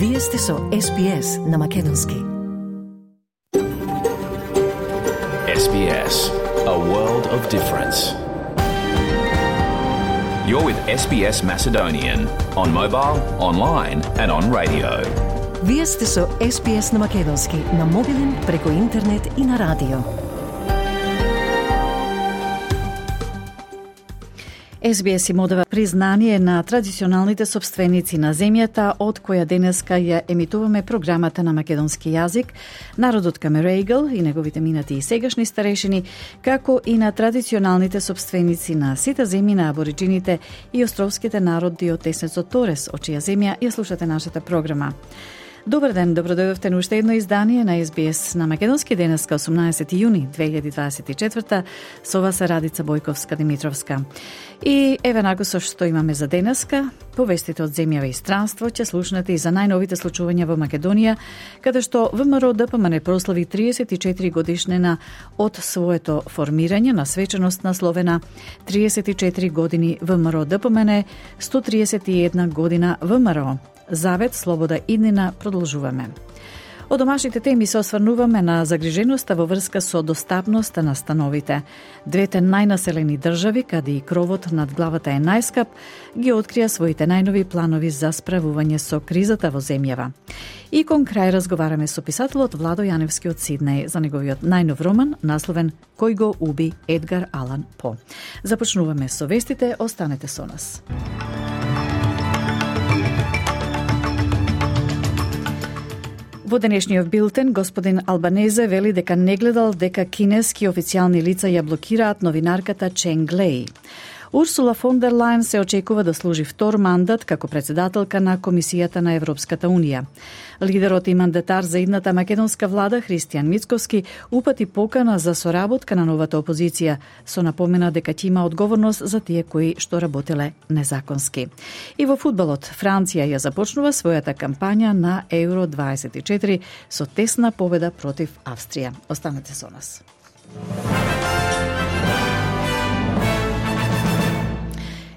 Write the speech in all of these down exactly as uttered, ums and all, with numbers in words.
Вие сте со Ес Би Ес на Македонски. Ес Би Ес, a world of difference. You're with Ес Би Ес Macedonian on mobile, online and on radio. Вие сте со Ес Би Ес на Македонски, на мобилен, преку интернет и на радио. Ес Би Ес им одава признание на традиционалните собственици на земјата, од која денеска ја емитуваме програмата на македонски јазик, народот Камерејгл и неговите минати и сегашни старешини, како и на традиционалните собственици на сите земји на абориджините и островските народи од Теснецот Торес, од чија земја ја слушате нашата програма. Добар ден, добродојдовте на уште едно издание на Ес Би Ес на Македонски, денеска осумнаесети јуни две илјади дваесет и четврта. Со вас е Радица Бојковска-Димитровска. И еве нако со што имаме за денеска, повестите од земјава и странство, ќе слушнете и за најновите случувања во Македонија, каде што ВМРО Д П М Н прослави триесет и четири годишнина од своето формирање на свеченост насловена триесет и четири години ВМРО Д П М Н, сто триесет и една година ВМРО. Завет, слобода, иднина, продолжуваме. Од домашните теми се осврнуваме на загриженоста во врска со достапноста на становите. Двете најнаселени држави, каде и кровот над главата е најскап, ги открија своите најнови планови за справување со кризата во земјава. И кон крај разговараме со писателот Владо Јаневски од Сиднеј за неговиот најнов роман, насловен Кој го уби Едгар Алан По. Започнуваме со вестите, останете со нас. Во денешниот билтен, господин Албанезе вели дека не гледал дека кинески официјални лица ја блокираат новинарката Ченг Леј. Урсула фон дер Лајен се очекува да служи втор мандат како председателка на Комисијата на Европската Унија. Лидерот и мандатар за идната македонска влада Христијан Мицковски упати покана за соработка на новата опозиција, со напомена дека ќе има одговорност за тие кои што работеле незаконски. И во фудбалот, Франција ја започнува својата кампања на Евро дваесет и четири со тесна победа против Австрија. Останете со нас.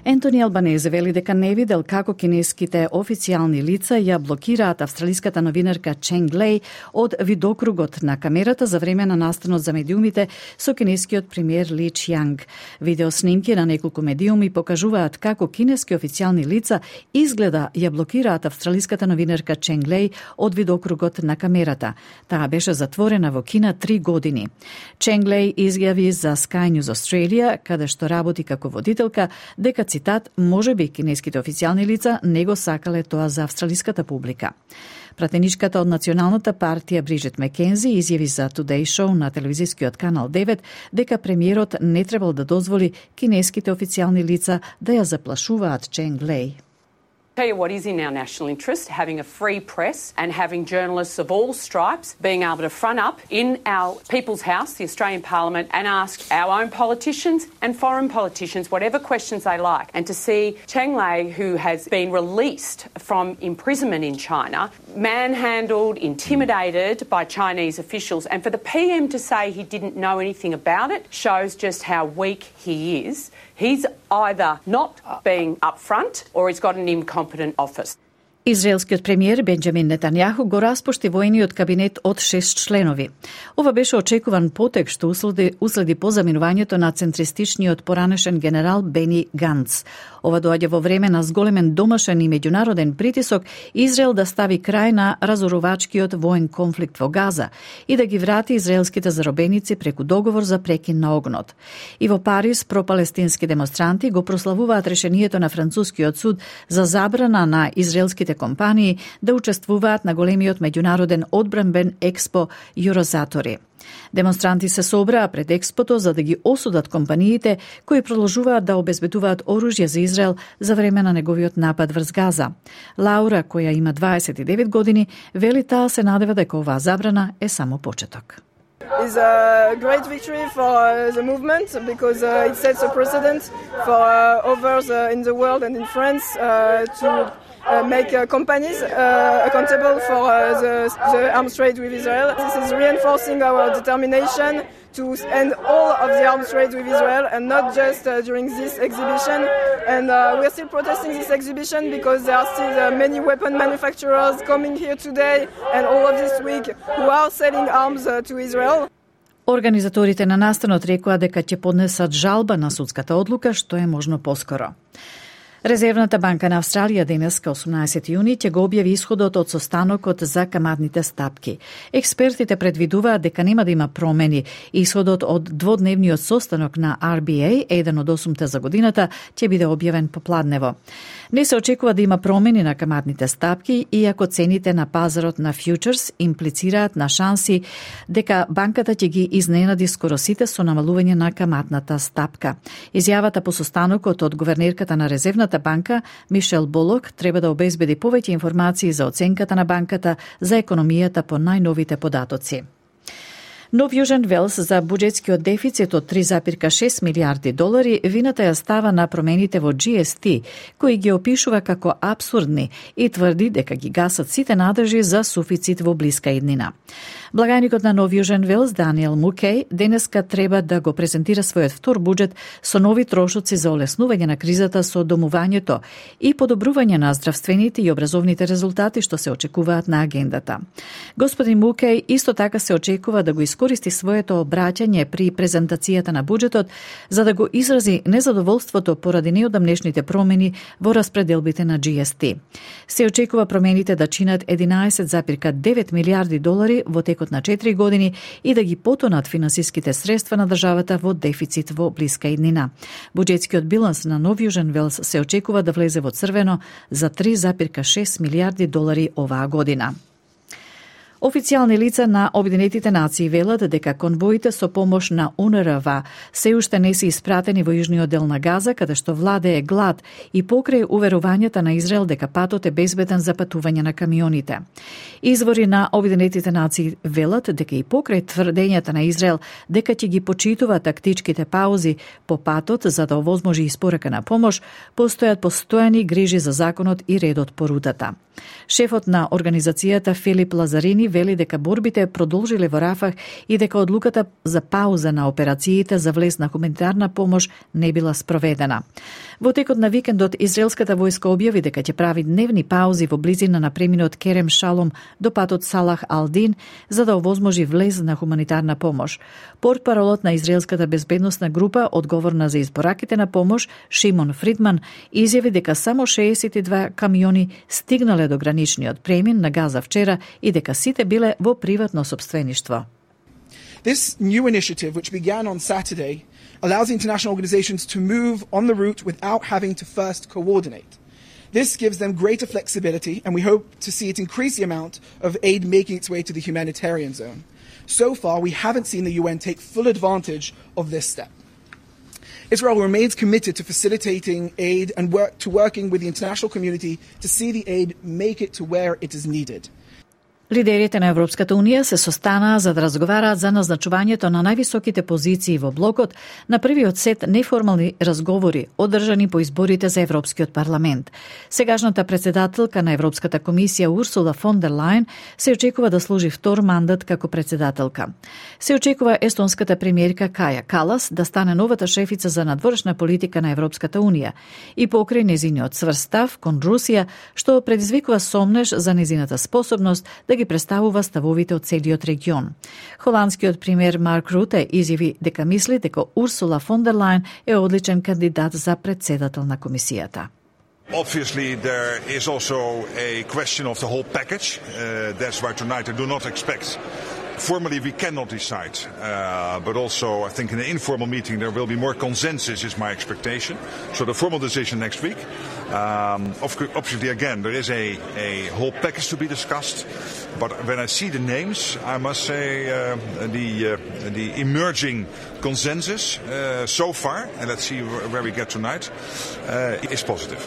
Ентони Албанезе вели дека не видел како кинеските официјални лица ја блокираат австралиската новинарка Ченг Леј од видокругот на камерата за време на настанот за медиумите со кинескиот премиер Ли Чјанг. Видеоснимки на неколку медиуми покажуваат како кинески официјални лица изгледа ја блокираат австралиската новинарка Ченг Леј од видокругот на камерата. Таа беше затворена во Кина три години. Ченг Леј изјави за Sky News Australia, каде што работи како водителка, дека цитат, може би кинеските официјални лица не го сакале тоа за австралиската публика. Пратеничката од Националната партија Бриджит Мекензи изјави за Today Show на телевизискиот канал девет дека премиерот не требал да дозволи кинеските официјални лица да ја заплашуваат Ченг Леј. Tell you what is in our national interest, having a free press and having journalists of all stripes being able to front up in our People's House, the Australian Parliament, and ask our own politicians and foreign politicians whatever questions they like. And to see Cheng Lei, who has been released from imprisonment in China, manhandled, intimidated by Chinese officials, and for the P M to say he didn't know anything about it shows just how weak he is. He's either not being upfront or he's got an incompetent office. Израелскиот премиер Бенџамин Нетањаху го распушти војниот кабинет од шест членови. Ова беше очекуван потек што уследи, уследи по заминувањето на центристичниот поранешен генерал Бени Ганц. Ова доаѓа во време на зголемен домашен и меѓународен притисок Израел да стави крај на разорувачкиот воен конфликт во Газа и да ги врати израелските заробеници преку договор за прекин на огнот. И во Париз пропалестински демонстранти го прославуваат решението на францускиот суд за забрана на израелските компании да учествуваат на големиот меѓународен одбранбен експо Юрозатори. Демонстранти се собраа пред експото за да ги осудат компаниите кои продолжуваат да обезбедуваат оружје за Израел за време на неговиот напад врз Газа. Лаура, која има дваесет и девет години, вели таа се надева дека оваа забрана е само почеток. Is a great victory for uh, the movement because uh, it sets a precedent for uh, others uh, in the world and in France uh, to uh, make uh, companies uh, accountable for uh, the, the arms trade with Israel. This is reinforcing our determination to end all of the arms trade with Israel, and not just uh, during this exhibition. And uh, we're still protesting this exhibition because there are still uh, many weapon manufacturers coming here today and all of this week who are selling arms uh, to Israel. Организаторите на настанот рекоа дека ќе поднесат жалба на судската одлука што е можно поскоро. Резервната банка на Австралија денеска, осумнаесети јуни, ќе го објави исходот од состанокот за каматните стапки. Експертите предвидуваат дека нема да има промени. Исходот од дводневниот состанок на Ар Би Еј, еден од осумте за годината, ќе биде објавен попладнево. Не се очекува да има промени на каматните стапки, иако цените на пазарот на фьючерс имплицираат на шанси дека банката ќе ги изненади скоро сите со намалување на каматната стапка. Изјавата по состанокот од гувернерката на Резервната банка, Мишел Болок, треба да обезбеди повеќе информации за оценката на банката за економијата по најновите податоци. Нов Јужен Велс за буџетскиот дефицит од три запирка шест милијарди долари вината ја става на промените во Джи Ес Ти, кои ги опишува како апсурдни и тврди дека ги гасат сите надржи за суфицит во блиска иднина. Благајникот на Нов Јужен Велс, Даниел Мукеј, денеска треба да го презентира својот втор буџет со нови трошоци за олеснување на кризата со домувањето и подобрување на здравствените и образовните резултати што се очекуваат на агендата. Господин Мукеј исто така се очекува да го искористи своето обраќање при презентацијата на буџетот за да го изрази незадоволството поради неодамнешните промени во распределбите на Джи Ес Ти. Се очекува промените да чинат единаесет запирка девет милијарди долари во текот на четири години и да ги потонат финансиските средства на државата во дефицит во блиска иднина. Буџетскиот биланс на Нов Јужен Велс се очекува да влезе во црвено за три запирка шест милијарди долари оваа година. Официјални лица на Обединетите нации велат дека конвоите со помош на У Н Р В се уште не се испратени во јужниот дел на Газа, каде што владее глад и покрај уверувањата на Израел дека патот е безбеден за патување на камионите. Извори на Обединетите нации велат дека и покрај тврдењата на Израел дека ќе ги почитува тактичките паузи по патот за да овозможи испорака на помош, постојат постојани грижи за законот и редот по рутата. Шефот на организацијата Филип Лазарини вели дека борбите продолжиле во Рафах и дека одлуката за пауза на операциите за влез на хуманитарна помош не била спроведена. Во текот на викендот израелската војска објави дека ќе прави дневни паузи во близина на преминот Керем Шалом до патот Салах Алдин за да овозможи влез на хуманитарна помош. Портпаролот на израелската безбедносна група одговорна за избораките на помош, Шимон Фридман, изјави дека само шеесет и два камиони стигнале до граничниот премин на Газа вчера и дека сите биле во приватно сопствеништво. This new initiative, which began on Saturday, allows international organizations to move on the route without having to first coordinate. This gives them greater flexibility, and we hope to see it increase the amount of aid making its way to the humanitarian zone. So far, we haven't seen the U N take full advantage of this step. Israel remains committed to facilitating aid and work to working with the international community to see the aid make it to where it is needed. Лидерите на Европската Унија се состанаа за да разговараат за назначувањето на највисоките позиции во блокот на првиот сет неформални разговори одржани по изборите за Европскиот парламент. Сегашната председателка на Европската комисија Урсула фон дер Лајен се очекува да служи втор мандат како председателка. Се очекува естонската премиерка Каја Калас да стане новата шефица за надворешна политика на Европската Унија и покрај незиниот цврст став кон Русија, што предизвикува сомнеж за незината способност да ги представува ставовите од целиот регион. Холандскиот премиер Марк Руте изјави дека мисли дека Урсула фон дер Лајен е одличен кандидат за председател на комисијата. Obviously, there is also a question of the whole package. Uh, that's why tonight I do not expect. Formally, we cannot decide, uh, but also I think in an informal meeting there will be more consensus, is my expectation. So the formal decision next week. Um, obviously, again, there is a, a whole package to be discussed. But when I see the names, I must say uh, the uh, the emerging consensus uh, so far, and let's see where we get tonight, uh, is positive.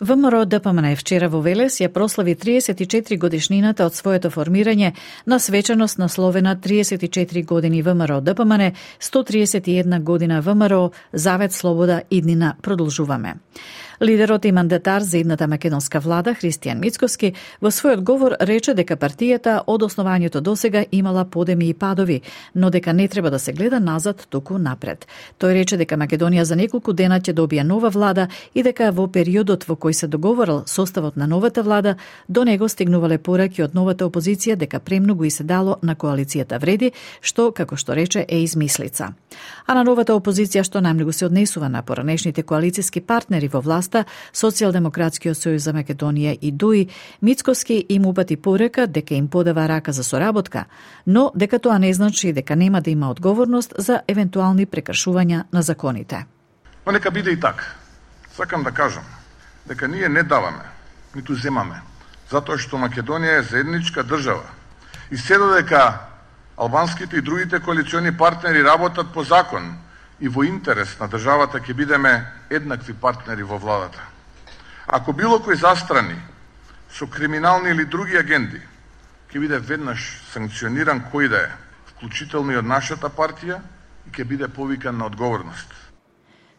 ВМРО Д П М Н вчера во Велес ја прослави триесет и четири годишнината од своето формирање на свечаност насловена триесет и четири години ВМРО Д П М Н, сто триесет и една година ВМРО, Завет, Слобода, иднина, продолжуваме. Лидерот и мандатар за идната македонска влада, Христијан Мицкоски, во својот говор рече дека партијата од основањето досега имала подеми и падови, но дека не треба да се гледа назад, туку напред. Тој рече дека Македонија за неколку дена ќе добие нова влада и дека во периодот во кој се договорил составот на новата влада, до него стигнувале пораки од новата опозиција дека премногу и се дало на коалицијата вреди, што, како што рече, е измислица. А на новата опозиција што најмногу се однесува на поранешните коалицијски партнери во власта, Социјалдемократскиот сојуз за Македонија и ДУИ, Мицкоски им упати порека дека им подава рака за соработка, но дека тоа не значи дека нема да има одговорност за евентуални прекршувања на законите. Но нека биде и така. Сакам да кажам дека ние не даваме, ниту земаме, затоа што Македонија е заедничка држава. И се додека албанските и другите коалициони партнери работат по закон и во интерес на државата, ќе бидеме еднакви партнери во владата. Ако било кој застрани со криминални или други агенди, ќе биде веднаш санкциониран кој да е, вклучително и од нашата партија, и ќе биде повикан на одговорност.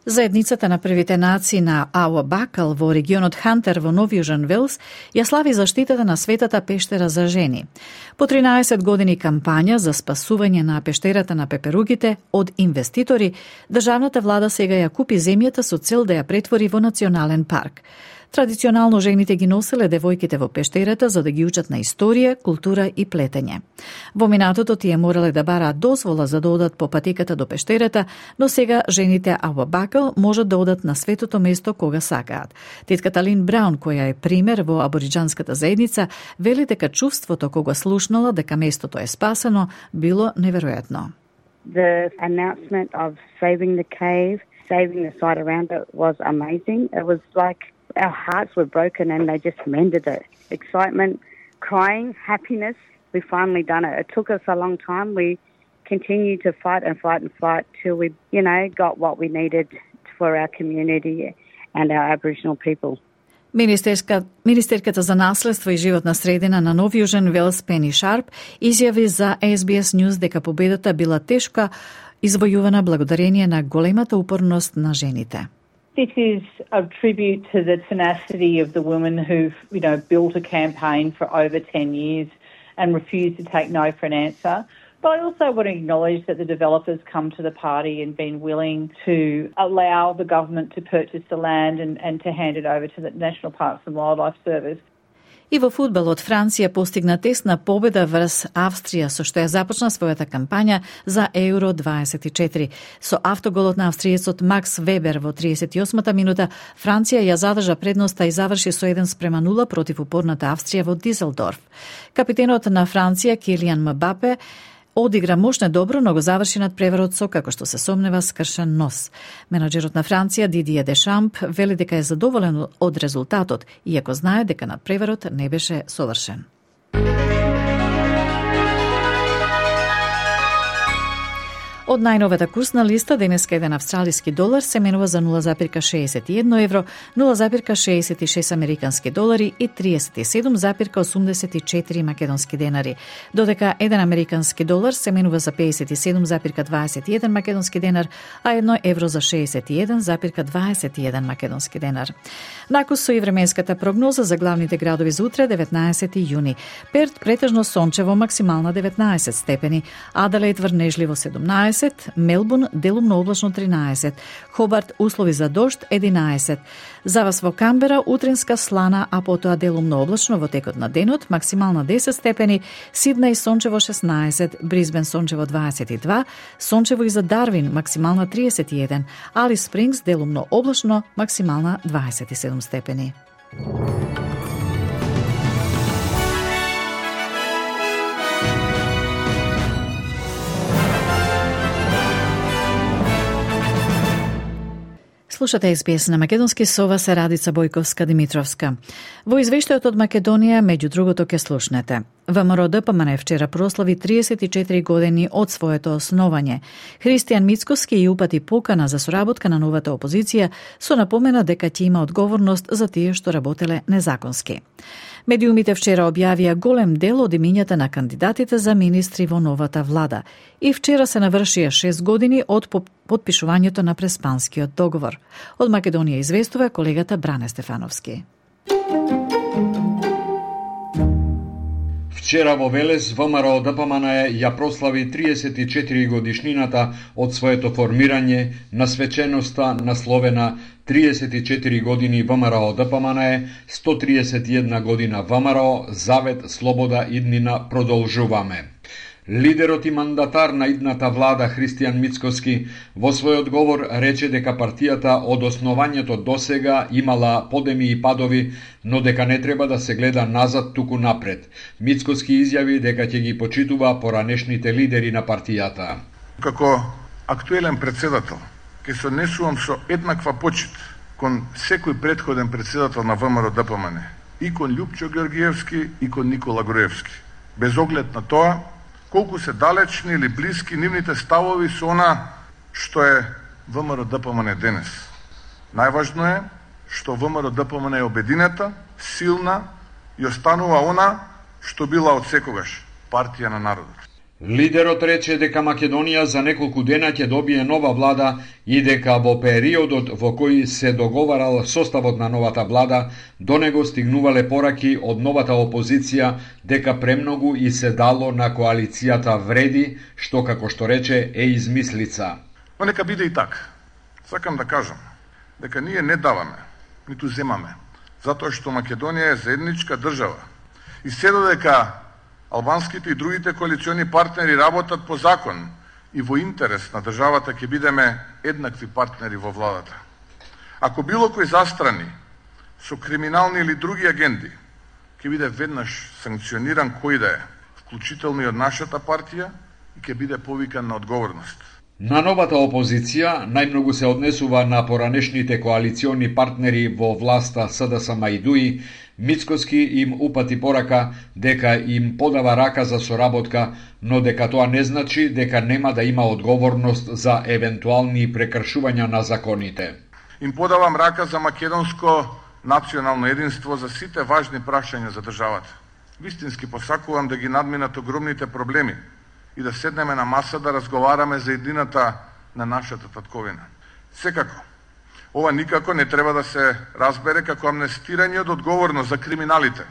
Заедницата на првите нации на Ауа Бакал во регионот Хантер во Нов Јужен Велс ја слави заштитата на светата пештера за жени. По тринаесет години кампања за спасување на пештерата на пеперугите од инвеститори, државната влада сега ја купи земјата со цел да ја претвори во национален парк. Традиционално жените ги носеле девојките во пештерата за да ги учат на историја, култура и плетење. Во минатото тие морале да бараат дозвола за да одат по патеката до пештерата, но сега жените Ауа Бакал можат да одат на светото место кога сакаат. Тетката Лин Браун, која е пример во абориџанската заедница, вели дека чувството кога слушнала дека местото е спасено било неверојатно. The announcement of saving the cave, saving the site around it was amazing. It was like our hearts were broken and they just mended it. Excitement, crying, happiness. We finally done it. It took us a long time. We continued to fight and fight and fight till we, you know, got what we needed for our community and our Aboriginal people. Министерска, Министерката за наследство и животна средина на Нов Јужен Велс Пени Шарп изјави за Ес Би Ес News дека победата била тешка извојувана благодарение на големата упорност на жените. This is a tribute to the tenacity of the women who've, you know, built a campaign for over ten years and refused to take no for an answer. But I also want to acknowledge that the developers come to the party and been willing to allow the government to purchase the land and, and to hand it over to the National Parks and Wildlife Service. И во фудбалот Франција постигна тесна победа врз Австрија, со што ја започна својата кампања за Еуро дваесет и четири. Со автоголот на австриецот Макс Вебер во триесет и осмата минута, Франција ја задржа предноста и заврши со еден спрема нула против упорната Австрија во Дизелдорф. Капитенот на Франција Килијан Мбапе одигра мощно добро, но го заврши над преварот со, како што се сомнева, скршен нос. Менаџерот на Франција Дидие Дешамп вели дека е задоволен од резултатот, иако знае дека над преварот не беше совршен. Од најновата курсна листа, денеска еден австралиски долар се менува за нула запирка шеесет и едно евро, нула запирка шеесет и шест американски долари и триесет и седум запирка осумдесет и четири македонски денари, додека еден американски долар се менува за пеесет и седум запирка дваесет и еден македонски денар, а едно евро за шеесет и еден запирка дваесет и еден македонски денар. Накус со и временската прогноза за главните градови за утре, деветнаесети јуни. Перт претежно сончево, максимална деветнаесет степени, Аделаид врнежливо седумнаесет, Мелбурн делумно облачно тринаесет, Хобарт услови за дожд единаесет. За вас во Камбера утринска слана, а потоа делумно облачно во текот на денот, максимална десет степени, Сиднеј сончево шеснаесет, Брисбен сончево дваесет и два, сончево и за Дарвин максимална триесет и еден, Алис Спрингс делумно облачно, максимална дваесет и седум степени. Слушате Ес Би Ес на македонски, со вас е Радица Бојковска Димитровска. Во извештајот од Македонија, меѓу другото, ќе слушнете: ВМРО Д П М Н вчера прослави триесет и четири години од своето основање. Христијан Мицкоски и упати покана за соработка на новата опозиција, со напомена дека ќе има одговорност за тие што работеле незаконски. Медиумите вчера објавија голем дел од имињата на кандидатите за министри во новата влада и вчера се навршија шест години од потпишувањето на Преспанскиот договор. Од Македонија известува колегата Бране Стефановски. Вчера во Велес ВМРО Д П М Н ја прослави триесет и четири годишнината од своето формирање на свеченоста насловена триесет и четири години ВМРО Д П М Н, сто триесет и една година ВМРО, Завет, Слобода, иднина, продолжуваме. Лидерот и мандатар на идната влада Христијан Мицкоски во својот говор рече дека партијата од основањето досега имала подеми и падови, но дека не треба да се гледа назад, туку напред. Мицкоски изјави дека ќе ги почитува поранешните лидери на партијата. Како актуелен председател, ќе се однесувам со еднаква почит кон секој претходен председател на ВМРО Д П М Н, и кон Љупчо Георгиевски и кон Никола Груевски, без оглед на тоа колку се далечни или блиски нивните ставови со она што е ВМРО Д П М Н денес. Најважно е што ВМРО Д П М Н е обединета, силна и останува она што била од секогаш, партија на народот. Лидерот рече дека Македонија за неколку дена ќе добие нова влада и дека во периодот во кој се договарал составот на новата влада, до него стигнувале пораки од новата опозиција дека премногу и се дало на коалицијата вреди, што како што рече е измислица. Но нека биде и така. Сакам да кажам дека ние не даваме, ниту земаме, затоа што Македонија е заедничка држава. И се додека албанските и другите коалициони партнери работат по закон и во интерес на државата, ќе бидеме еднакви партнери во владата. Ако било кој застрани со криминални или други агенди, ќе биде веднаш санкциониран кој да е, вклучително и од нашата партија, и ќе биде повикан на одговорност. На новата опозиција најмногу се однесува на поранешните коалициони партнери во власта С Д С М и Д У И. Мицкоски им упати порака дека им подава рака за соработка, но дека тоа не значи дека нема да има одговорност за евентуални прекршувања на законите. Им подавам рака за македонско национално единство, за сите важни прашања за државата. Вистински посакувам да ги надминат огромните проблеми и да седнеме на маса да разговараме за едината на нашата татковина. Секако, ова никако не треба да се разбере како амнестирање од одговорност за криминалите.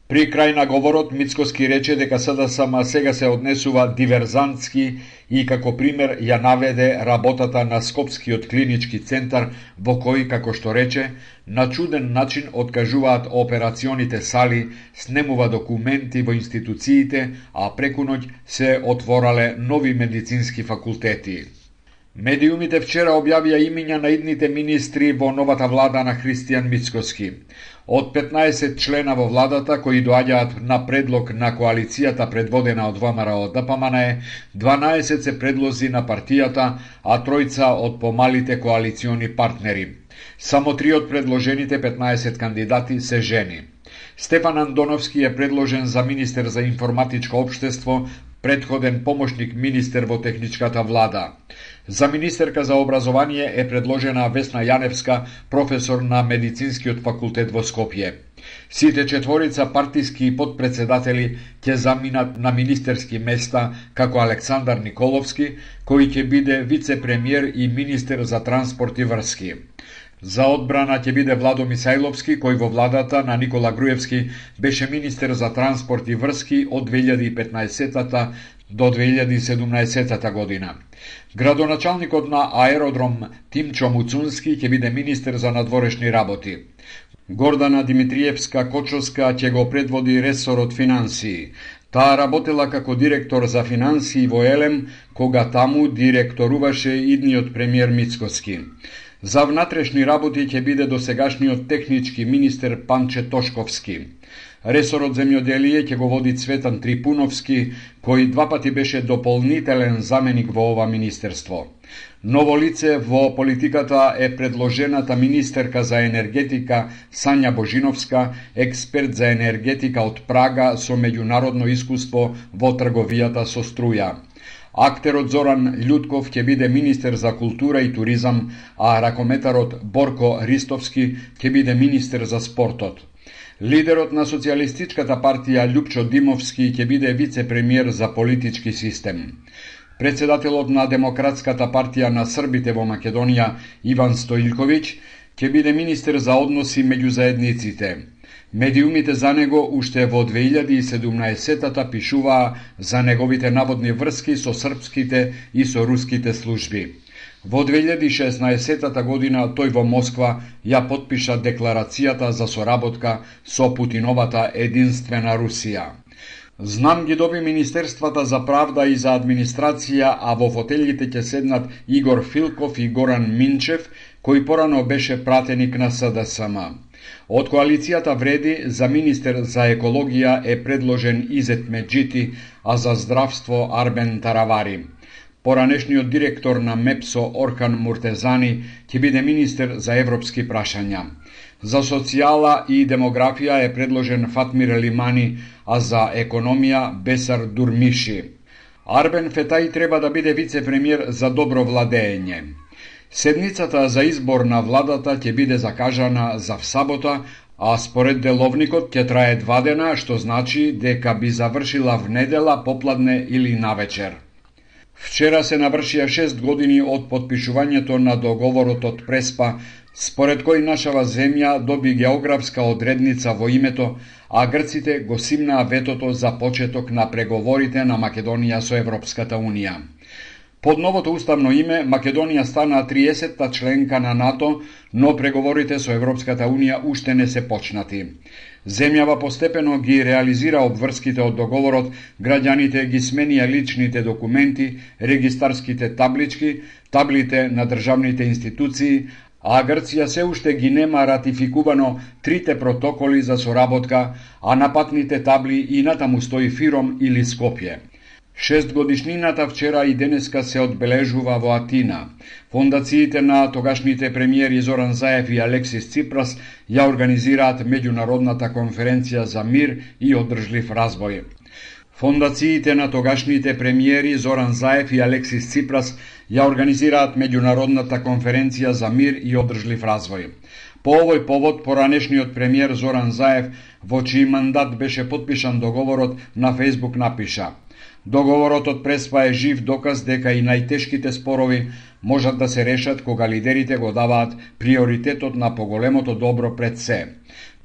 При крај на говорот Мицкоски рече дека С Д С М сега се однесува диверзантски и како пример ја наведе работата на Скопскиот клинички центар, во кој, како што рече, на чуден начин откажуваат операционите сали, снемува документи во институциите, а преку ноќ се отворале нови медицински факултети. Медиумите вчера објавија имиња на идните министри во новата влада на Христијан Мицкоски. Од петнаесет члена во владата кои доаѓаат на предлог на коалицијата предводена од ВМРО Д П М Н, дванаесет се предлози на партијата, а тројца од помалите коалициони партнери. Само три од предложените петнаесет кандидати се жени. Стефан Андоновски е предложен за министер за информатичко општество, предходен помошник министер во техничката влада. За министерка за образование е предложена Весна Јаневска, професор на Медицинскиот факултет во Скопје. Сите четворица партиски подпредседатели ќе заминат на министерски места, како Александар Николовски, кој ќе биде вице-премиер и министер за транспорт и врски. За одбрана ќе биде Владо Мисајловски, кој во владата на Никола Груевски беше министер за транспорт и врски од две илјади и петнаесета до две илјади и седумнаесета година. Градоначалникот на аеродром Тимчо Муцунски ќе биде министер за надворешни работи. Гордана Димитриевска-Кочовска ќе го предводи ресорот финансии. Таа работела како директор за финансии во Елем, кога таму директоруваше идниот премиер Мицкоски. За внатрешни работи ќе биде досегашниот технички министер Панче Тошковски. Ресорот земјоделие ќе го води Цветан Трипуновски, кој два пати беше дополнителен заменик во ова министерство. Ново лице во политиката е предложената министерка за енергетика Сања Божиновска, експерт за енергетика од Прага со меѓународно искуство во трговијата со струја. Актерот Зоран Љутков ќе биде министер за култура и туризам, а ракометарот Борко Ристовски ќе биде министер за спортот. Лидерот на Социјалистичката партија Љупчо Димовски ќе биде вице-премиер за политички систем. Председателот на Демократската партија на србите во Македонија Иван Стоилковиќ ќе биде министер за односи меѓу заедниците. Медиумите за него уште во две илјади и седумнаесетта пишуваа за неговите наводни врски со српските и со руските служби. Во две илјади и шеснаесетта година тој во Москва ја потпиша декларацијата за соработка со Путиновата единствена Русија. Знам ги доби Министерствата за правда и за администрација, а во фотелите ќе седнат Игор Филков и Горан Минчев, кој порано беше пратеник на С Д С М. Од коалицијата Вреди за министер за екологија е предложен Изет Меджити, а за здравство Арбен Таравари. Поранешниот директор на МЕПСО Орхан Муртезани ќе биде министер за европски прашања. За социјала и демографија е предложен Фатмир Лимани, а за економија Бесар Дурмиши. Арбен Фетај треба да биде вице-премиер за добро владење. Седницата за избор на владата ќе биде закажана за сабота, а според деловникот ќе трае два дена, што значи дека би завршила в недела, попладне или навечер. Вчера се навршија шест години од потпишувањето на договорот од Преспа, според кој нашава земја доби географска одредница во името, а грците го симнаа ветото за почеток на преговорите на Македонија со Европската Унија. Под новото уставно име Македонија стана триесетта членка на НАТО, но преговорите со Европската Унија уште не се почнати. Земјава постепено ги реализира обврските од договорот, граѓаните ги сменија личните документи, регистарските таблички, таблите на државните институции, а Грција се уште ги нема ратификувано трите протоколи за соработка, а на патните табли и натаму стои Фиром или Скопје. Шестгодишнината вчера и денеска се одбележува во Атина. Фондациите на тогашните премиери Зоран Заев и Алексис Ципрас ја организираат меѓународната конференција за мир и одржлив развој. Фондациите на тогашните премиери Зоран Заев и Алексис Ципрас ја организираат меѓународната конференција за мир и одржлив развој. По овој повод, поранешниот премиер Зоран Заев, во чиј мандат беше потпишан договорот, на Фејсбук напиша: Договорот од Преспа е жив доказ дека и најтешките спорови можат да се решат кога лидерите го даваат приоритетот на поголемото добро пред се.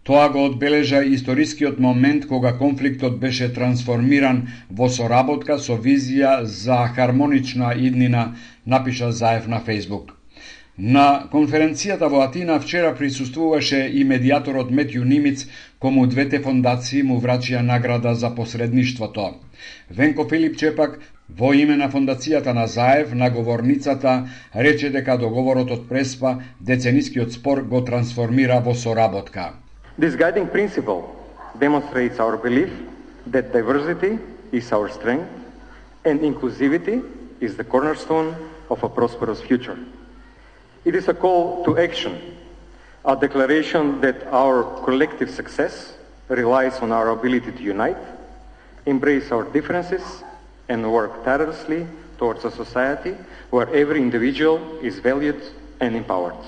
Тоа го одбележа историскиот момент кога конфликтот беше трансформиран во соработка со визија за хармонична иднина, напиша Заев на Фејсбук. На конференцијата во Атина вчера присуствуваше и медијаторот Метју Нимиц, кому двете фондации му врачија награда за посредништвото. Венко Филипче пак, во име на фондацијата на Заев, на говорницата, рече дека договорот од Преспа деценискиот спор го трансформира во соработка. This guiding principle demonstrates our belief that diversity is our strength and inclusivity is the cornerstone of a prosperous future. It is a call to action, a declaration that our collective success relies on our ability to unite, embrace our differences, and work tirelessly towards a society where every individual is valued and empowered.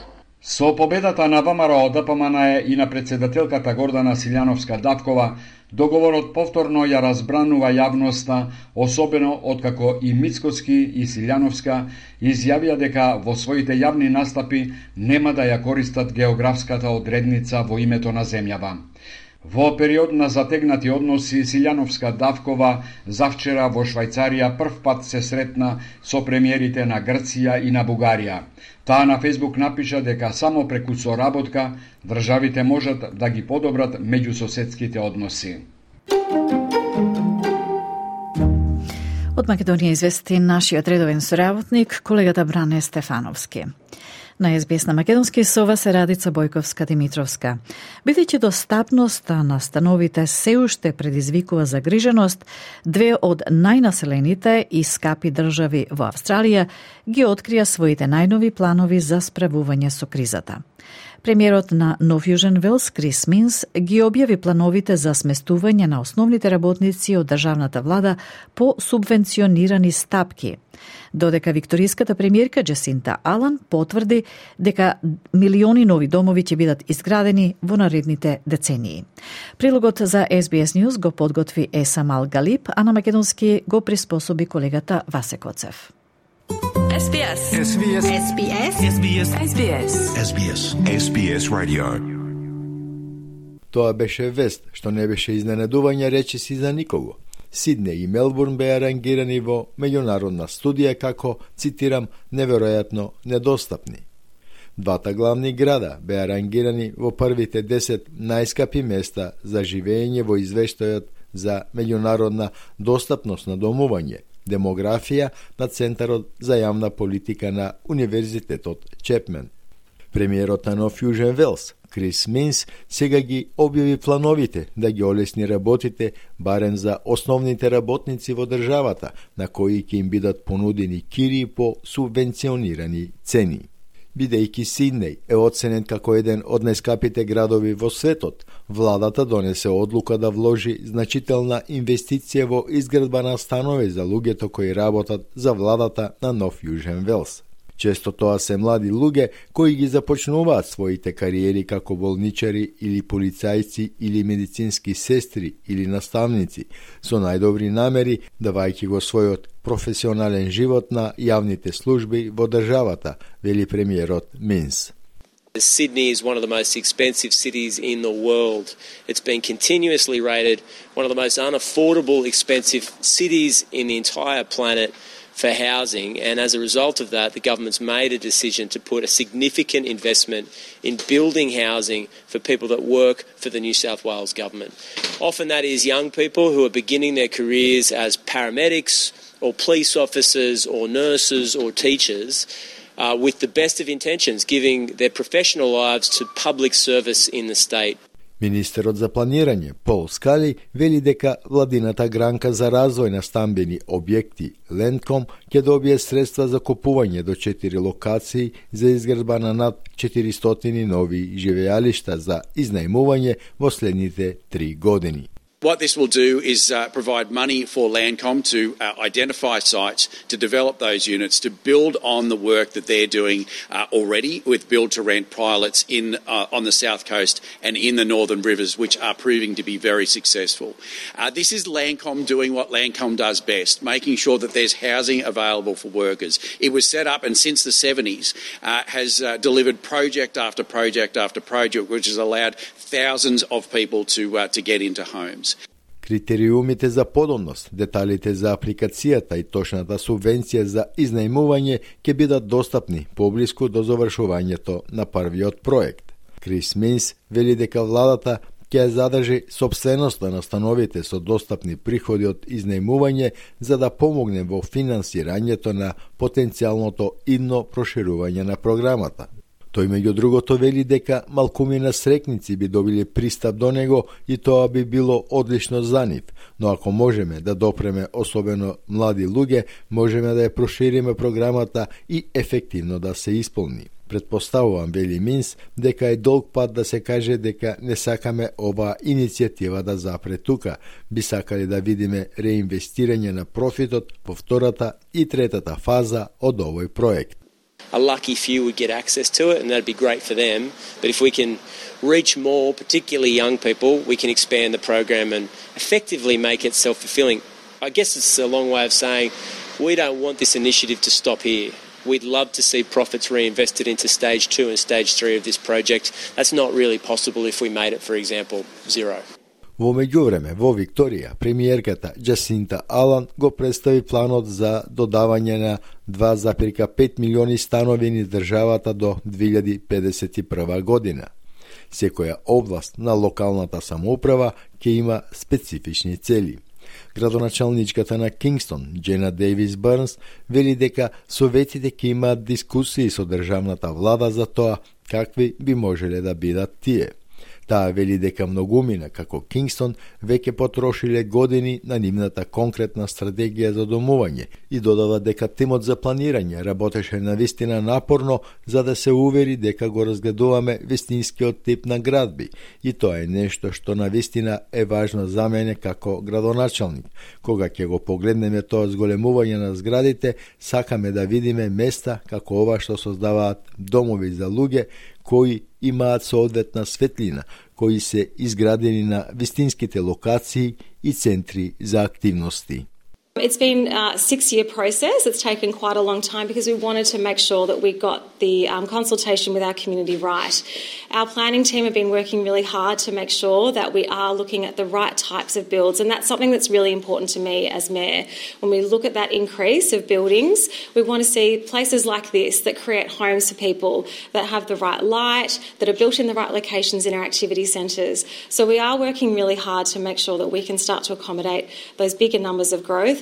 Со победата на ВМРО Д П М Н Е и на председателката Гордана Силјановска-Давкова, договорот повторно ја разбранува јавноста, особено откако и Мицкоски и Силјановска изјавија дека во своите јавни настапи нема да ја користат географската одредница во името на земјава. Во период на затегнати односи, Силјановска-Давкова завчера во Швајцарија прв пат се сретна со премиерите на Грција и на Бугарија. Таа на Фејсбук напиша дека само преку соработка државите можат да ги подобрат меѓусоседските односи. Од Македонија извести нашиот редовен соработник, колегата Бране Стефановски. На Ес Би Ес на македонски со вас е Радица Бојковска-Димитровска. Бидејќи достапноста на становите се уште предизвикува загриженост, две од најнаселените и скапи држави во Австралија ги открија своите најнови планови за справување со кризата. Премиерот на Нов Јужен Велс, Крис Минс, ги објави плановите за сместување на основните работници од државната влада по субвенционирани стапки, додека викториската премиерка Джасинта Алан потврди дека милиони нови домови ќе бидат изградени во наредните децении. Прилогот за Ес Би Ес News го подготви Есамал Галип, а на македонски го приспособи колегата Васе Коцев. Ес Би Ес. Ес Би Ес. Ес Би Ес. Ес Би Ес. Ес Би Ес. Ес Би Ес. Ес Би Ес Radio. Тоа беше вест, што не беше изненадување речиси за никого. Сиднеј и Мелбурн беа рангирани во меѓународна студија како, цитирам, неверојатно недостапни. Двата главни града беа рангирани во првите десет најскапи места за живење во извештајот за меѓународна достапност на домување, демографија на Центарот за јавна политика на Универзитетот Чепмен. Премиерот на Нов Јужен Велс, Крис Минс, сега ги објави плановите да ги олесни работите барем за основните работници во државата, на кои ќе им бидат понудени кирии по субвенционирани цени. Бидејќи Сиднеј е оценен како еден од најскапите градови во светот, владата донесе одлука да вложи значителна инвестиција во изградба на станови за луѓето кои работат за владата на Нов Јужен Велс. Често тоа се млади луѓе кои ги започнуваат своите кариери како болничари или полицајци или медицински сестри или наставници, со најдобри намери давајќи го својот професионален живот на јавните служби во државата, вели премиерот Минс. Sydney is one of the most expensive cities in the world. It's been continuously rated one of the most unaffordable, expensive cities in the entire planet for housing, and as a result of that, the government's made a decision to put a significant investment in building housing for people that work for the New South Wales government. Often that is young people who are beginning their careers as paramedics or police officers or nurses or teachers, uh, with the best of intentions, giving their professional lives to public service in the state. Министерот за планирање, Пол Скали, вели дека владината гранка за развој на стамбени објекти, Лендком, ќе добие средства за купување до четири локации за изградба на над четиристотини нови живеалишта за изнајмување во следните три години. What this will do is uh, provide money for Landcom to uh, identify sites, to develop those units, to build on the work that they're doing uh, already with build-to-rent pilots in uh, on the South Coast and in the Northern Rivers, which are proving to be very successful. Uh, this is Landcom doing what Landcom does best, making sure that there's housing available for workers. It was set up and since the seventies uh, has uh, delivered project after project after project, which has allowed thousands of people to uh, to get into homes. Критериумите за подобност, деталите за апликацијата и точната субвенција за изнајмување ќе бидат достапни поблиску до завршувањето на првиот проект. Крис Минс вели дека владата ќе задржи сопственоста на становите со достапни приходи од изнајмување за да помогне во финансирањето на потенцијалното идно проширување на програмата. Тој меѓу другото вели дека малкумина срекници би добили пристап до него и тоа би било одлично за нив, но ако можеме да допреме особено млади луѓе, можеме да ја прошириме програмата и ефективно да се исполни. Предпоставувам, вели Минс, дека е долг пат да се каже дека не сакаме оваа иницијатива да запре тука. Би сакали да видиме реинвестирање на профитот во втората и третата фаза од овој проект. A lucky few would get access to it, and that'd be great for them. But if we can reach more, particularly young people, we can expand the program and effectively make it self-fulfilling. I guess it's a long way of saying we don't want this initiative to stop here. We'd love to see profits reinvested into stage two and stage three of this project. That's not really possible if we made it, for example, zero. Во меѓувреме, во Викторија, премиерката Джасинта Алан го представи планот за додавање на два запирка пет милиони станови низ државата до две илјади педесет и прва година. Секоја област на локалната самоуправа ќе има специфични цели. Градоначалничката на Кингстон, Джена Дейвис Бърнс, вели дека советите ќе имаат дискусии со државната влада за тоа какви би можеле да бидат тие. Таа вели дека многумина како Кингстон веќе потрошиле години на нивната конкретна стратегија за домување и додава дека тимот за планирање работеше навистина напорно за да се увери дека го разгледуваме вистинскиот тип на градби и тоа е нешто што навистина е важно за мене како градоначалник. Кога ќе го погледнеме тоа зголемување на зградите, сакаме да видиме места како ова што создаваат домови за луѓе кои имаат соодветна светлина, кои се изградени на вистинските локации и центри за активности. It's been a six-year process. It's taken quite a long time because we wanted to make sure that we got the um, consultation with our community right. Our planning team have been working really hard to make sure that we are looking at the right types of builds, and that's something that's really important to me as Mayor. When we look at that increase of buildings, we want to see places like this that create homes for people, that have the right light, that are built in the right locations in our activity centres. So we are working really hard to make sure that we can start to accommodate those bigger numbers of growth.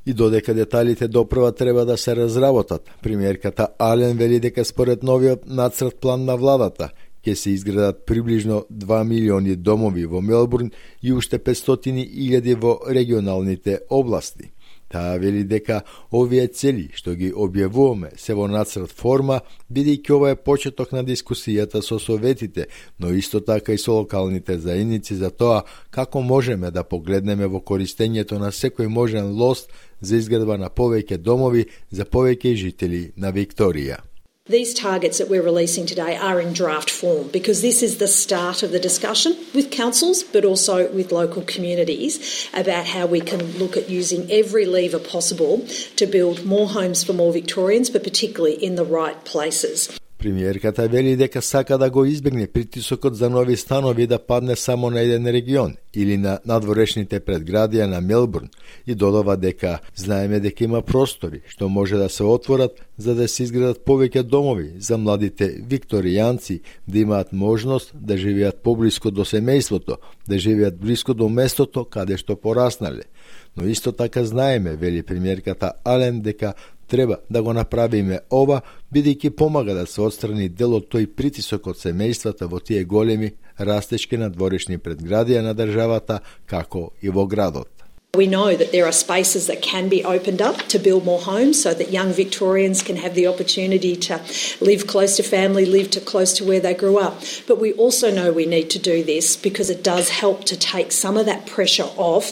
И додека деталите допрва треба да се разработат, премиерката Ален вели дека според новиот нацрт план на владата ќе се изградат приближно два милиони домови во Мелбурн и уште петстотини илјади во регионалните области. Таа вели дека овие цели што ги објавуваме се во нацрт форма, бидејќи ова е почеток на дискусијата со советите, но исто така и со локалните заедници за тоа како можеме да погледнеме во користењето на секој можен лост за изградба на повеќе домови за повеќе жители на Викторија. These targets that we're releasing today are in draft form because this is the start of the discussion with councils but also with local communities about how we can look at using every lever possible to build more homes for more Victorians, but particularly in the right places. Премиерката вели дека сака да го избегне притисокот за нови станови да падне само на еден регион или на надворешните предградија на Мелбурн и додава дека знаеме дека има простори што може да се отворат за да се изградат повеќе домови за младите викторијанци да имаат можност да живеат поблиско до семејството, да живеат блиско до местото каде што пораснале. Но исто така знаеме, вели премиерката Ален, дека треба да го направиме ова, бидејќи помага да се отстрани дел од тој притисок од семејствата во тие големи растечки надворешни предградија на државата, како и во градот. We know that there are spaces that can be opened up to build more homes so that young Victorians can have the opportunity to live close to family, live to close to where they grew up. But we also know we need to do this because it does help to take some of that pressure off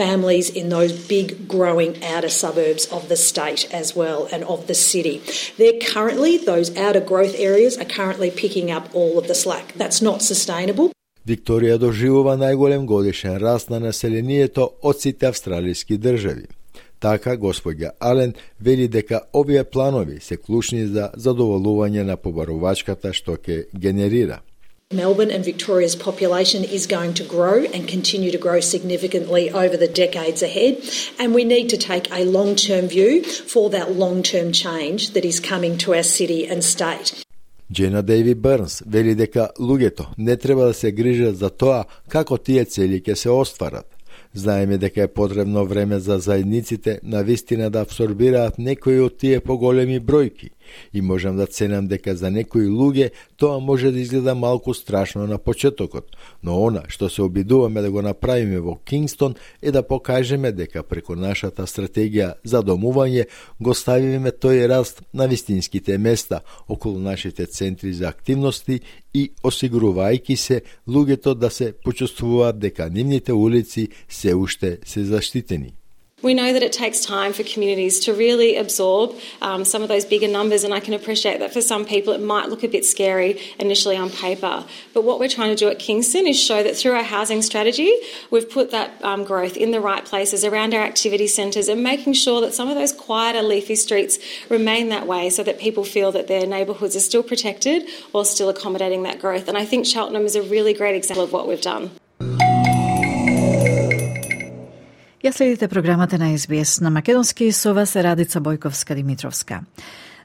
families in those big growing outer suburbs of the state as well and of the city. They're currently, those outer growth areas are currently picking up all of the slack. That's not sustainable. Викторија доживува најголем годишен раст на населението од сите австралиски држави. Така, господја Ален вели дека овие планови се клучни за задоволување на побарувачката што ќе генерира. Melbourne and Victoria's population is going to grow and continue to grow significantly over the decades ahead, and we need to take a long-term view for that long-term change that is coming to our city and state. Джена Дейви Бърнс вели дека луѓето не треба да се грижат за тоа како тие цели ќе се остварат. Знаеме дека е потребно време за заедниците на вистина да абсорбираат некои од тие поголеми бројки и можам да ценам дека за некои луѓе тоа може да изгледа малку страшно на почетокот, но она што се обидуваме да го направиме во Кингстон е да покажеме дека преку нашата стратегија за домување го ставиме тој раст на вистинските места околу нашите центри за активности и осигурувајќи се луѓето да се почувствуваат дека нивните улици се уште се заштитени. We know that it takes time for communities to really absorb um, some of those bigger numbers, and I can appreciate that for some people it might look a bit scary initially on paper. But what we're trying to do at Kingston is show that through our housing strategy, we've put that um, growth in the right places around our activity centres and making sure that some of those quieter, leafy streets remain that way so that people feel that their neighbourhoods are still protected while still accommodating that growth. And I think Cheltenham is a really great example of what we've done. Ја следите програмата на Ес Би Ес на македонски, со вас е Радица Бојковска-Димитровска.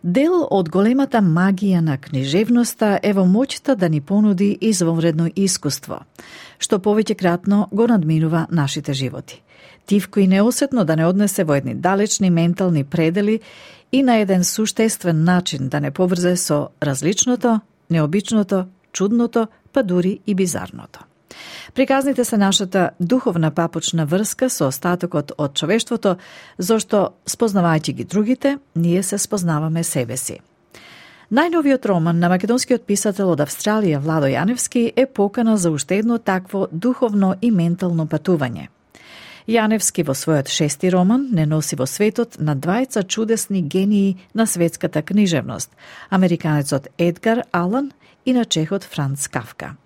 Дел од големата магија на книжевноста е во моќта да ни понуди извонредно искуство, што повеќекратно го надминува нашите животи. тивко и неосетно да не однесе во едни далечни ментални предели и на еден суштествен начин да не поврзе со различното, необичното, чудното, па дури и бизарното. Приказните се нашата духовна папучна врска со остатокот од човештвото, зашто, спознавајќи ги другите, ние се спознаваме себе си. Најновиот роман на македонскиот писател од Австралија Владо Јаневски е покана за уште едно такво духовно и ментално патување. Јаневски во својот шести роман не носи во светот на двајца чудесни гении на светската книжевност, американецот Едгар Алан и на чехот Франц Кафка.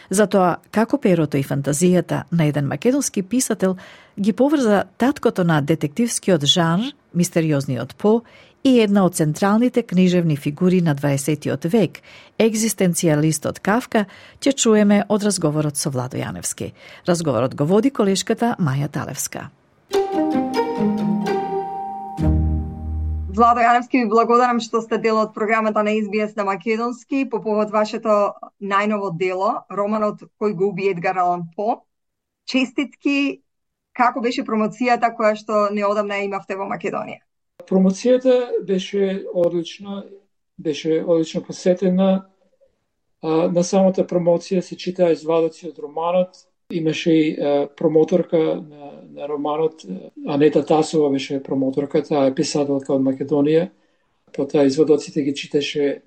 Затоа, како перото и фантазијата на еден македонски писател ги поврза таткото на детективскиот жанр, мистериозниот По, и една од централните книжевни фигури на дваесеттиот век, екзистенцијалистот Кафка, ќе чуеме од разговорот со Владо Јаневски. Разговорот го води колешката Маја Талевска. Владо Јаневски, ви благодарам што сте дел од програмата на Ес Би Ес на македонски по повод вашето најново дело, романот Кој го уби Едгар Алан По. Честитки, како беше промоцијата која што неодамна имавте во Македонија? Промоцијата беше одлична, беше одлично посетена. А, на самата промоција се читаа извадоци од романот. Имаше и а, промоторка на, на романот. Анета Тасова беше промоторка, таа е писателка од Македонија. Потоа извадоците ги читаше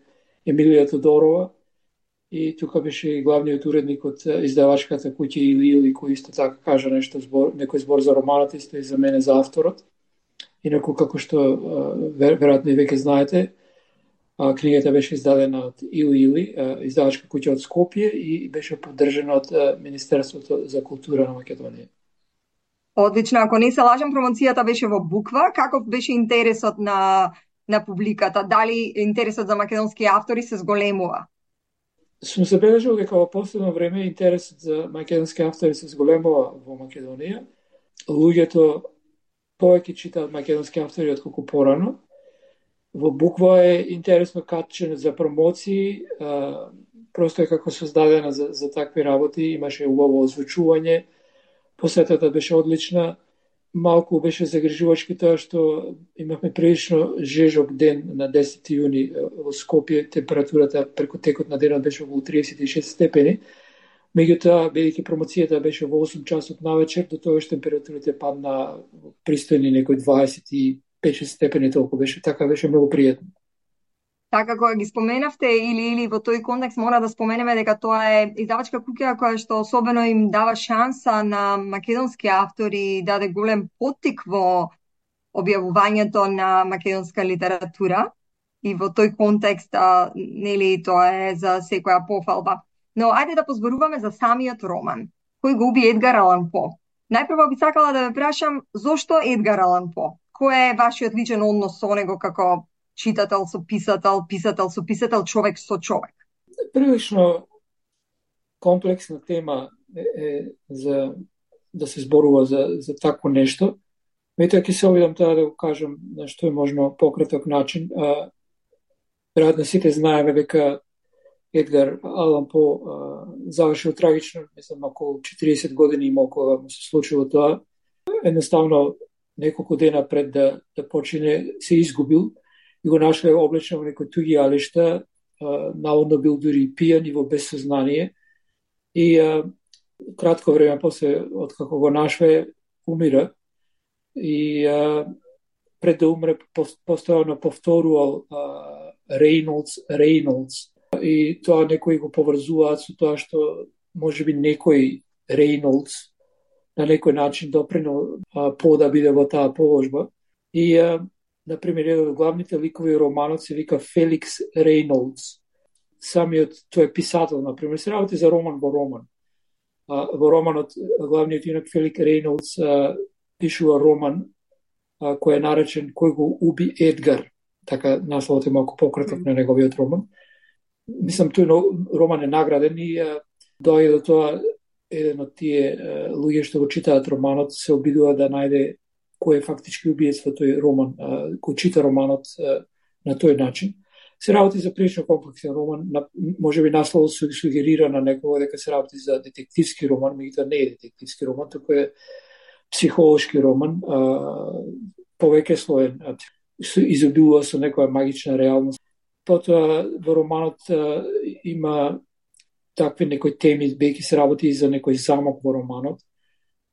Емилија Тодорова. И тука беше и главниот уредник од издавачката куќа Или Или, кој исто така кажа нешто збор, некој збор за романот, исто и за мене за авторот. Инаку, како што веројатно и веќе знаете, книгата беше издадена од Или Или, издавачка куќа од Скопје, и беше поддржана од Министерството за култура на Македонија. Одлично, ако не се лажам, промоцијата беше во буква. Каков беше интересот на на публиката? Дали интересот за македонски автори се зголемува? Сум забележал дека во последно време интересот за македонски автори се зголемува во Македонија. Луѓето повеќе читаат македонски автори отколку порано. Во буква е интересно качено за промоции, а, просто е како создадена за, за такви работи, имаше убаво озвучување, посетата беше одлична, малку беше загрижувачки тоа што имавме прилично жежок ден на десети јуни во Скопје, температурата преку текот на денот беше околу триесет и шест степени. Меѓутоа, бидејќи промоцијата беше во осум часот навечер, до тогаш температурите падна пристојни некои дваесет и пет степени, толку беше, така беше многу пријатно. Така, кога ги споменавте Или Или во тој контекст, мора да споменеме дека тоа е издавачка куќа која што особено им дава шанса на македонски автори, даде голем поттик во објавувањето на македонска литература, и во тој контекст, а, нели, тоа е за секоја пофалба. Но ајде да позборуваме за самиот роман. Кој го уби Едгар Алан По? Најпрво би сакала да ве прашам, зошто Едгар Алан По? Кој е вашиот личен однос со него како читател со писател, писател со писател, човек со човек? Прилично комплексна тема е, е за да се зборува за, за такво нешто. Меѓутоа ќе се обидам тоа да го кажам на што е можно пократок начин. Веројатно сите знаеме дека Едгар Алан По завршил трагично, мислам, околу четириесет години има кога му се случило тоа. Едноставно, неколку дена пред да, да почине, се изгубил и го нашле облечено во некои туги алишта, наводно бил дури пијан и во безсознание. И а, кратко време после, откако го нашле, умира. И а, пред да умре, постојано повторувал Рейнолдс, Рейнолдс. И тоа некои го поврзуваат со тоа што можеби некој Рейнолдс на некој начин допринел По да биде во таа положба. И, а, например, еден од главните ликови романот се вика Феликс Рейнолдс. Самиот тој писател, например, се работи за роман во роман. А, во романот главниот юнак Феликс Рейнолдс а, пишува роман а, кој е наречен Кој го уби Едгар. Така насловот е малку пократок на неговиот роман. Мислам, тој роман е награден и а, доаѓа до тоа еден од тие а, луѓе што го читаат романот се обидува да најде кој е фактички убиец во тој роман, а, кој чита романот а, на тој начин. Се работи за прилично комплексен роман, на, може би насловот се сугерира на некого дека се работи за детективски роман, меѓутоа не е детективски роман, туку е психолошки роман, а, повеќе слоен, изобилува со некоја магична реалност. Потоа во романот а, има такви некои теми, бејќи се работи и за некој замок во романот,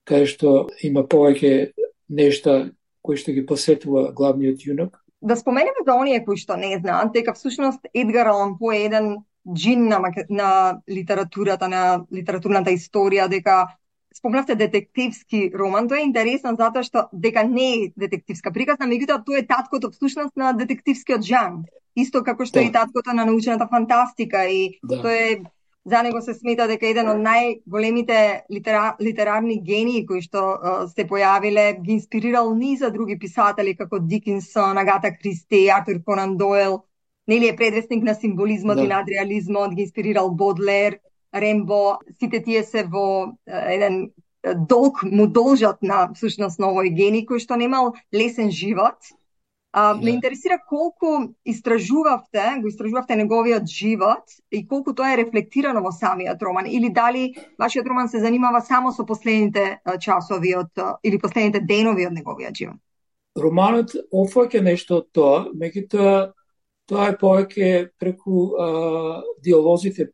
каде што има повеќе нешта кои што ги посетува главниот јунак. Да споменеме за оние кои што не знаат, дека всушност Едгар Алан По е еден джин на, на литературата, на литературната историја, дека спомнавте детективски роман. Тоа е интересно затоа што дека не е детективска приказна, меѓутоа тоа е таткото всушност на детективскиот жанр. Исто како што да. е и таткото на научната фантастика и да. Тоа е за него се смета дека еден од најголемите литера, литерарни гении кои што uh, се појавиле, ги инспирирал низа други писатели како Дикинсон, Агата Кристи, Артур Конан Дойл. Нели е предвестник на символизмот да. и надреализмот, ги инспирирал Бодлер, Рембо. Сите тие се во uh, еден долг му должат на всушност на овој гений кој што немал лесен живот. А, ме интересира колку истражувавте, го истражувавте неговиот живот и колку тоа е рефлектирано во самиот роман, или дали вашиот роман се занимава само со последните часови од, или последните денови од неговиот живот? Романот офаќа нешто од тоа, меѓутоа тоа е повеќе преку а, диалозите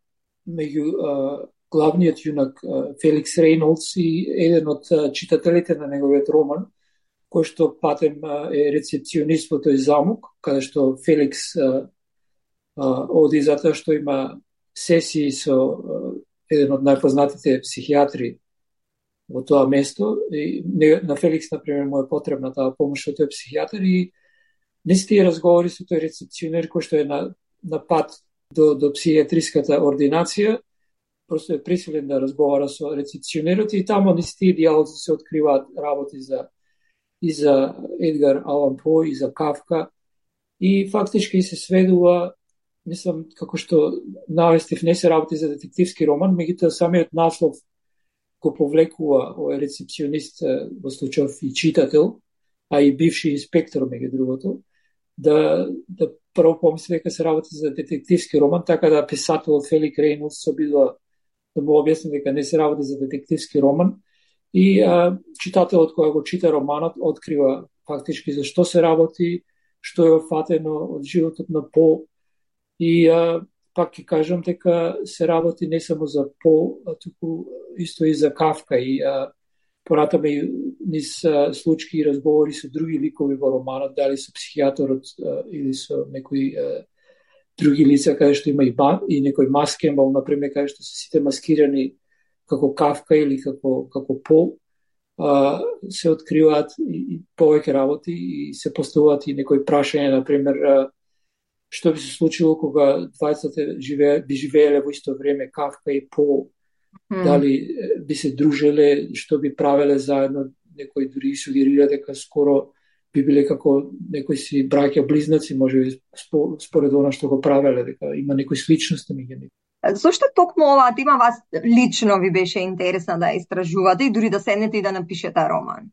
меѓу а, главниот јунак а, Феликс Рейнолдс и еден од а, читателите на неговиот роман, кој што патем е рецепционист во тој замок, каде што Феликс а, а, оди затоа што има сесии со а, еден од најпознатите психијатри во тоа место. И на Феликс, например, му е потребна таа помош од тој психијатар и не се тие разговори со тој рецепционер кој што е на, на пат до, до психијатриската ординација, просто е присилен да разговара со рецепционерот и тамо не се тие диалози се откриваат работи за и за Едгар Алан По, и за Кафка. И фактички се сведува, мислам, како што навестив, не се работи за детективски роман, меѓутоа самиот наслов го повлекува овој рецепционист, во случајов и читател, а и бивши инспектор, меѓу другото, да, да прво помисли дека се работи за детективски роман, така да писателот Фелик Рейнолдс се обидува да му објасни дека не се работи за детективски роман. И а, читателот кој го чита романот открива фактички за што се работи, што е офатено од животот на По. И а, пак ќе кажам дека се работи не само за По, а туку исто и за Кафка. И а, понатаме низ а, случаи и разговори со други ликови во романот, дали со психијаторот а, или со некои а, други лица, каде што има и, ба, и некој Мас Кембал, например, каде што се сите маскирани како Кафка или како, како По, а, се откриваат и, и повеќе работи и се поставуваат и некои прашања, например, а, што би се случило кога двајцата живее, би живееле во исто време, Кафка и По, mm. дали би се дружеле, што би правеле заедно, некои дури сугерира дека скоро би биле како некои си браќа близнаци, може би според она што го правеле, дека има некои сличности меѓу нив. Зошто токму оваа тема вас лично ви беше интересна да истражувате и дури да седнете и да напишете роман?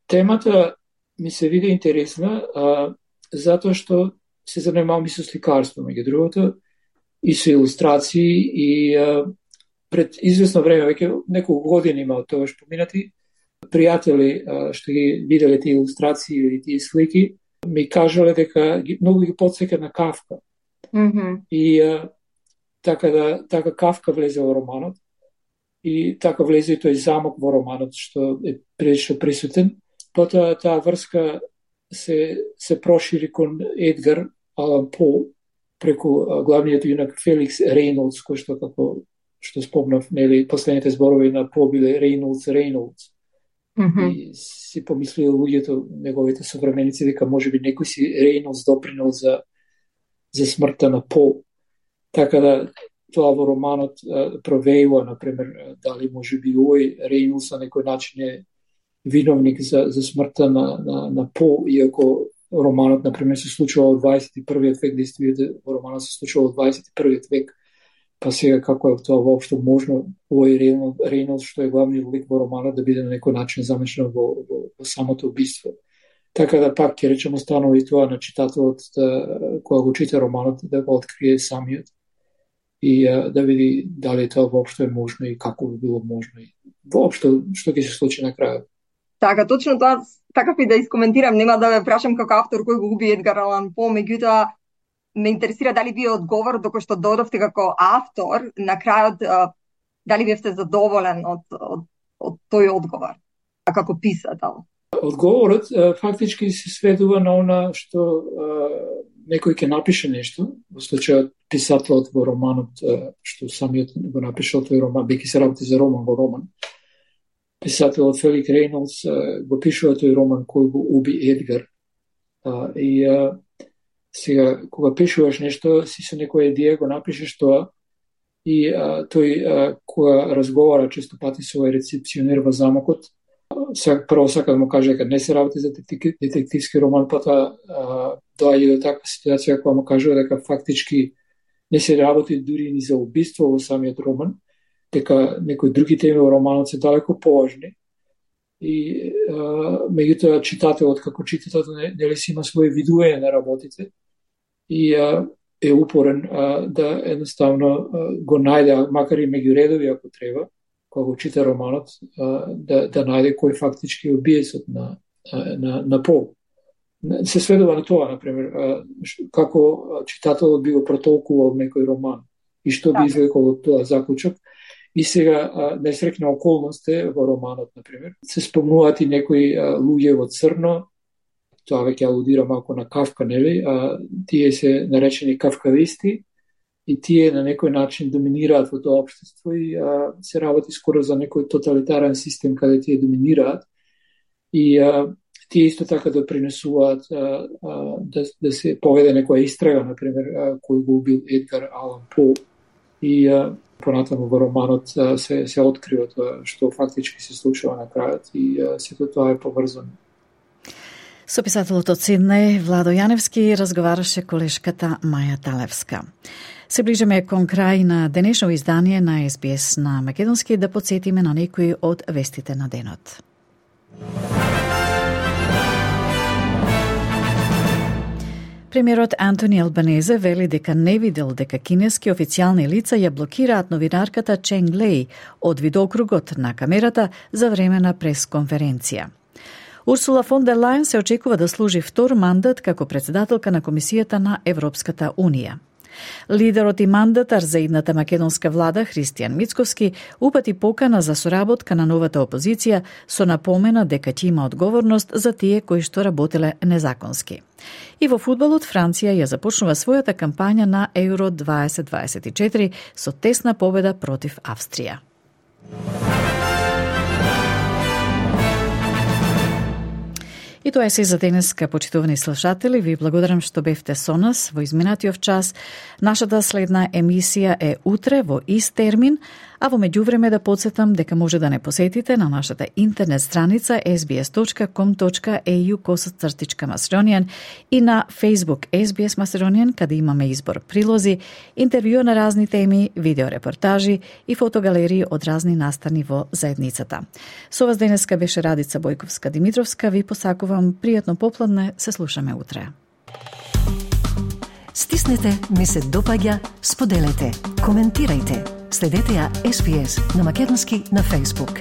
Темата ми се види интересна, а, затоа што се занимавам и со сликарство, меѓу другото, и со илустрации, и а, пред известно време, веќе неколку години има од тоа што поминати, пријатели а, што ги виделе тие илустрации или тие слики, ми кажале дека ги, многу ги потсека на Кафка. Mm-hmm. И а, така да така Кафка влезе во романот и така влезе и тој замок во романот што е прилично присутен. Потоа таа врска се се прошири кон Едгар Алан По преку а, главниот јунак Феликс Рейнолдс, кој што како што спомнав, нели, последните зборови на По биле Рейнолдс Рейнолдс. Mm-hmm. И си помислиле луѓето, неговите современици, дека можеби некој си Рейнолдс допринел за за смртта на По. Така да тоа во романот а, провеива, например, дали може би овој Рейнолдс на некој начин е виновник за, за смртта на, на, на По, иако романот, например, се случува во дваесет и првиот век, действително во романот се случува во дваесет и првиот век, па сега како е тоа воопшто можно, овој Рейнолдс, што е главниот лик во романот, да биде на некој начин замешан во, во, во самото убиство. Така да пак ќе речем останува и тоа на читателот да, кога го чита романот, да го открие самиот и а, да види дали тоа воопшто е можно и како би било можно и воопшто што ќе се случи на крајот. Така, точно тоа такав и да искоментирам, нема да ве прашам како автор кој го уби Едгар Алан По, меѓутоа ме интересира дали вие одговор докато што додовте како автор, на крајот дали вие сте задоволен од, од, од тој одговор, а како писател? Одговорот фактички се сведува на она што а, некој ќе напише нешто, во случајот писателот во романот, а, што самиот го напишал тој роман, бејќи се работи за роман во роман. Писателот Фелик Рейнолдс а, го пишува тој роман кој го уби Едгар. А, и а, сега, кога пишуваш нешто, си со некоја идеја го напишеш тоа и а, тој а, кога разговара често пати со овој рецепционер во замокот, прво сака да му каже дека не се работи за детективски роман, потоа доаѓа до таква ситуација кога му кажува дека фактички не се работи дури ни за убиство во самиот роман, дека некои други теми во романот се далеко поважни. И меѓутоа читателот како читател нели си има своје видување на работите и а, е упорен а, да едноставно а, го најде, макар и меѓу редови ако треба, кога го чита романот, да, да најде кој фактички е убиецот на, на, на По. Се сведува на тоа, например, како читателот би го протолкувал некој роман и што би извлекол од тоа заклучок. И сега несрекна околност е во романот, например. Се спомнуваат и некои луѓе во црно, тоа веќе алудира малку на Кавка, нели? А, тие се наречени кавкависти, и тие на некој начин доминираат во тоа општество и а, се работи скоро за некој тоталитарен систем каде тие доминираат и а, тие исто така допринесуваат а, а, да, да се поведе некоја истрага, например, а, кој го убил Едгар Алан По и а, понатаму во романот а, се, се открива тоа што фактички се случува на крајот и а, сето тоа е поврзано. Со писателот од Сиднеј Владо Јаневски разговараше колешката Маја Талевска. Се ближиме кон крај на денешно издание на Ес Би Ес на македонски, да подсетиме на некои од вестите на денот. Премиерот Антони Албанезе вели дека не видел дека кинески официјални лица ја блокираат новинарката Ченг Леј од видеокругот на камерата за време на пресконференција. Урсула фон дер Лајен се очекува да служи втор мандат како председателка на Комисијата на Европската Унија. Лидерот и мандатар за идната македонска влада Христијан Мицковски упати покана за соработка на новата опозиција со напомена дека ќе има одговорност за тие кои што работеле незаконски. И во фудбалот Франција ја започнува својата кампања на Еуро дваесет дваесет и четири со тесна победа против Австрија. И тоа е се за денеска, почитувани слушатели. Ви благодарам што бевте со нас во изминатиот час. Нашата следна емисија е утре во ист термин, а во меѓувреме да подсетам дека може да не посетите на нашата интернет страница ес би ес точка ком точка е ю косацртичка Macedonian и на Facebook Ес Би Ес Macedonian, каде имаме избор прилози, интервју на разни теми, видеорепортажи и фотогалерии од разни настани во заедницата. Со вас денеска беше Радица Бојковска-Димитровска. Ви посакувам пријатно попладне, се слушаме утре. Стиснете, ми се допаѓа, споделете, коментирајте. Следете ја Ес Би Ес на македонски на Facebook.